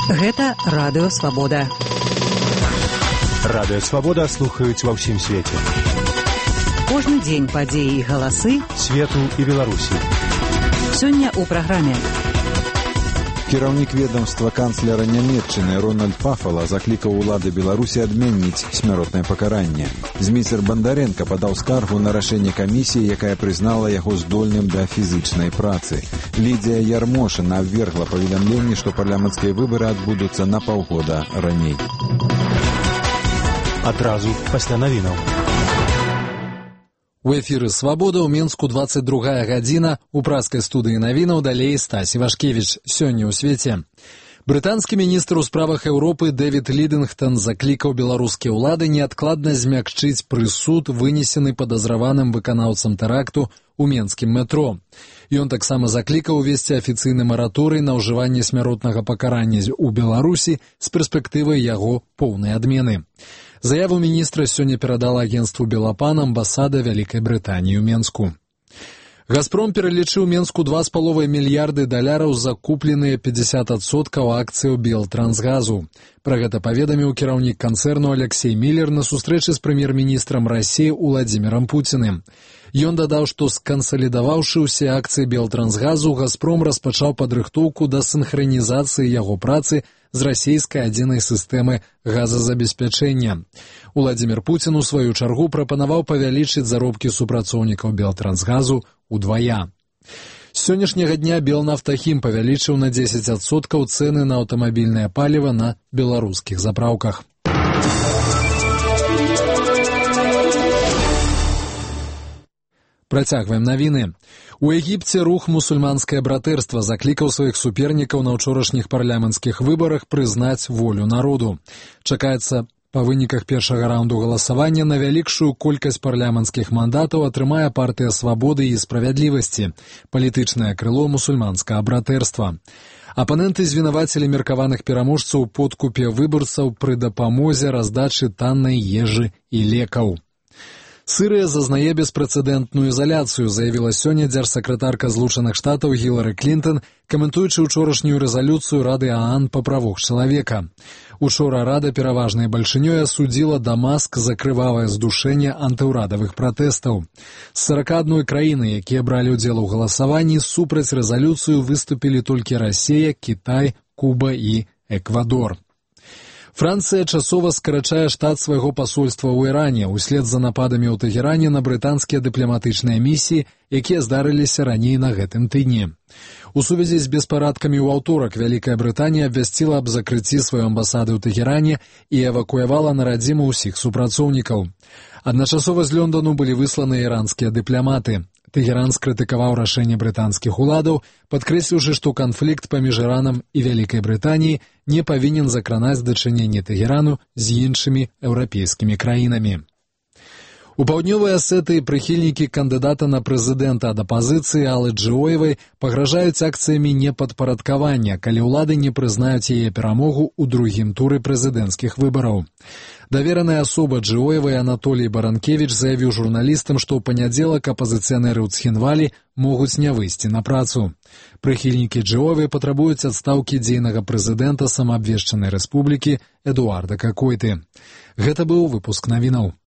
Гэта Радыё Свабода. Радыё Свабода слухаюць ва ўсім свеце. Кожны дзень падзеі і галасы свету і Беларусі. Сёння ў праграме. Кіраўнік ведомства канцлера Нямецчыны Рональд Пафала заклікаў улады Беларусі адменіць смяротнае пакаранне. Зміцер Бандаренка падаў скаргу на рашэнне камісіі, якая прызнала яго здольным да фізычнай працы. Лідзія Ярмошына абвергла паведамленне, што парламенцкія выбары адбудуцца на паўгода раней. Адразу пасля навінаў. У эфіры «Свабода» ў Мінску 22 гадзіна. У праскай студыі навінаў далей Стась Івашкевіч. Сёння ў свеце. Брытанскі міністр у справах Еўропы Дэвід Лідынгтон заклікаў беларускія ўлады неадкладна змякчыць прысуд, вынесены падазраваным выканаўцам тэракту у менскім метро. Ён таксама заклікаў увесці афіцыйны мараторый на ўжыванне смяротнага пакарання ў Беларусі з перспектывай яго поўнай адмены. Заяву міністра сёння перадала агенцтву «Белапан» амбасада Вялікай Брытаніі ў Менску. «Газпром» пералічыў Менску $2,5 мільярды за купленыя 50% акцыяў «Белтрансгазу». Пра гэта паведаміў кіраўнік канцэрну Алексей Міллер на сустрэчы з прэм'ер-міністрам Расіі Уладзімірам Пуціным. Ён дадаў, што скансалідаваўшы ўсе акцыі «Белтрансгазу», «Газпром» распачаў падрыхтоўку да сінхранізацыі яго працы з расійскай адзінай сістэмы газазабеспячэння. Уладзімір Пуцін у сваю чаргу прапанаваў павялічыць заробкі супрацоўнікаў «Белтрансгазу» удвая. З сённяшняга дня Белнафтахім павялічыў на 10% цэны на аўтамабільнае паліва на беларускіх запраўках. Працягваем навіны. У Егіпце рух «Мусульманскае братэрства» заклікаў сваіх супернікаў на ўчорашніх парламенцкіх выбарах прызнаць волю народу. Чакаецца, па выніках першага раунду галасавання на вялікшую колькасць парламенцкіх мандатаў атрымае партыя «Свабоды і справядлівасці», палітычнае крыло «Мусульманскага братэрства». Апаненты звінавацілі меркаваных пераможцаў у подкупе выбарцаў пры дапамозе раздачы таннай ежы і лекаў. Сырыя зазнае беспрэцэдэнтную ізаляцыю, заявіла сёння дзяржсакратарка Злучаных Штатаў Гілары Клінтон, каментуючы ўчорашнюю рэзалюцыю Рады ААН па правах чалавека. Учора Рада пераважнай бальшынёй асудзіла Дамаск за крывавае здушэнне антыўрадавых пратэстаў. З 41 краіны, якія бралі ўдзел у галасаванні, супраць рэзалюцыю выступілі толькі Расія, Кітай, Куба і Эквадор. Францыя часова скарачае штат свайго пасольства ў Іране ўслед за нападамі ў Тэгеране на брытанскія дыпламатычныя місіі, якія здарыліся раней на гэтым тыдні. У сувязі з беспарадкамі ў аўторак Вялікая Брытанія абвясціла аб закрыцці сваёй амбасады ў Тэгеране і эвакуявала на радзіму ўсіх супрацоўнікаў. Адначасова з Лёндану былі высланы іранскія дыпламаты. Тэгеран скрытыкаваў рашэнне брытанскіх уладаў, падкрэсліўшы, што канфлікт паміж Іранам і Вялікай Брытаніяй не павінен закранаць дачыненне Тэгерану з іншымі еўрапейскімі краінамі. У паўднёвай Асетыі прыхільнікі кандыдата на прэзідэнта ад апазіцыі Аллы Джыоевай пагражаюць акцыямі непадпарадкавання, калі ўлады не прызнаюць яе перамогу ў другім туры прэзідэнцкіх выбараў. Давераная асоба Джыоевай Анатолій Баранкевіч заявіў журналістам, што ў панядзелак апазіцыянеры ў Цхінвалі могуць не выйсці на працу. Прыхільнікі Джыоевай патрабуюць адстаўкі дзейнага прэзідэнта самаабвешчанай рэспублікі Эдуарда Какойты. Гэта быў выпуск навінаў.